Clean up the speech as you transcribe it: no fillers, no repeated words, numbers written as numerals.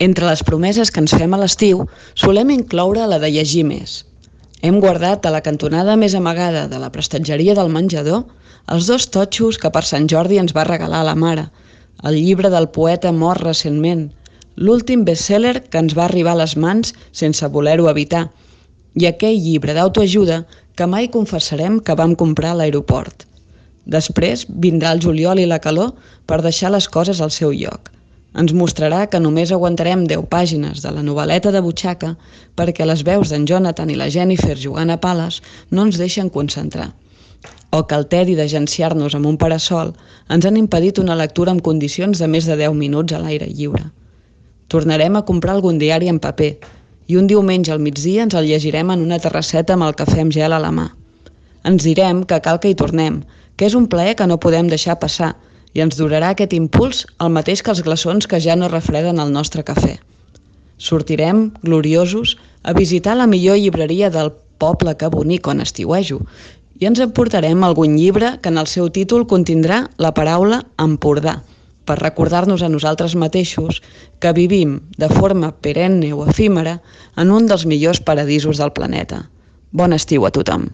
Entre les promeses que ens fem a l'estiu, solem incloure la de llegir més. Hem guardat a la cantonada més amagada de la prestatgeria del menjador els 2 totxos que per Sant Jordi ens va regalar la mare, el llibre del poeta mort recentment, l'últim best-seller que ens va arribar a les mans sense voler-ho evitar, i aquell llibre d'autoajuda que mai confessarem que vam comprar a l'aeroport. Després vindrà el juliol i la calor per deixar les coses al seu lloc. Ens mostrarà que només aguantarem 10 pàgines de la novel·leta de butxaca perquè les veus d'en Jonathan i la Jennifer jugant a pales no ens deixen concentrar. O que el tedi d'agenciar-nos amb un parasol ens han impedit una lectura en condicions de més de 10 minuts a l'aire lliure. Tornarem a comprar algun diari en paper i un diumenge al migdia ens el llegirem en una terrasseta amb el cafè amb gel a la mà. Ens direm que cal que hi tornem, que és un plaer que no podem deixar passar, i ens durarà aquest impuls el mateix que els glaçons que ja no refreden el nostre cafè. Sortirem, gloriosos, a visitar la millor llibreria del poble que bonic on estiuejo i ens emportarem algun llibre que en el seu títol contindrà la paraula Empordà, per recordar-nos a nosaltres mateixos que vivim de forma perenne o efímera en un dels millors paradisos del planeta. Bon estiu a tothom!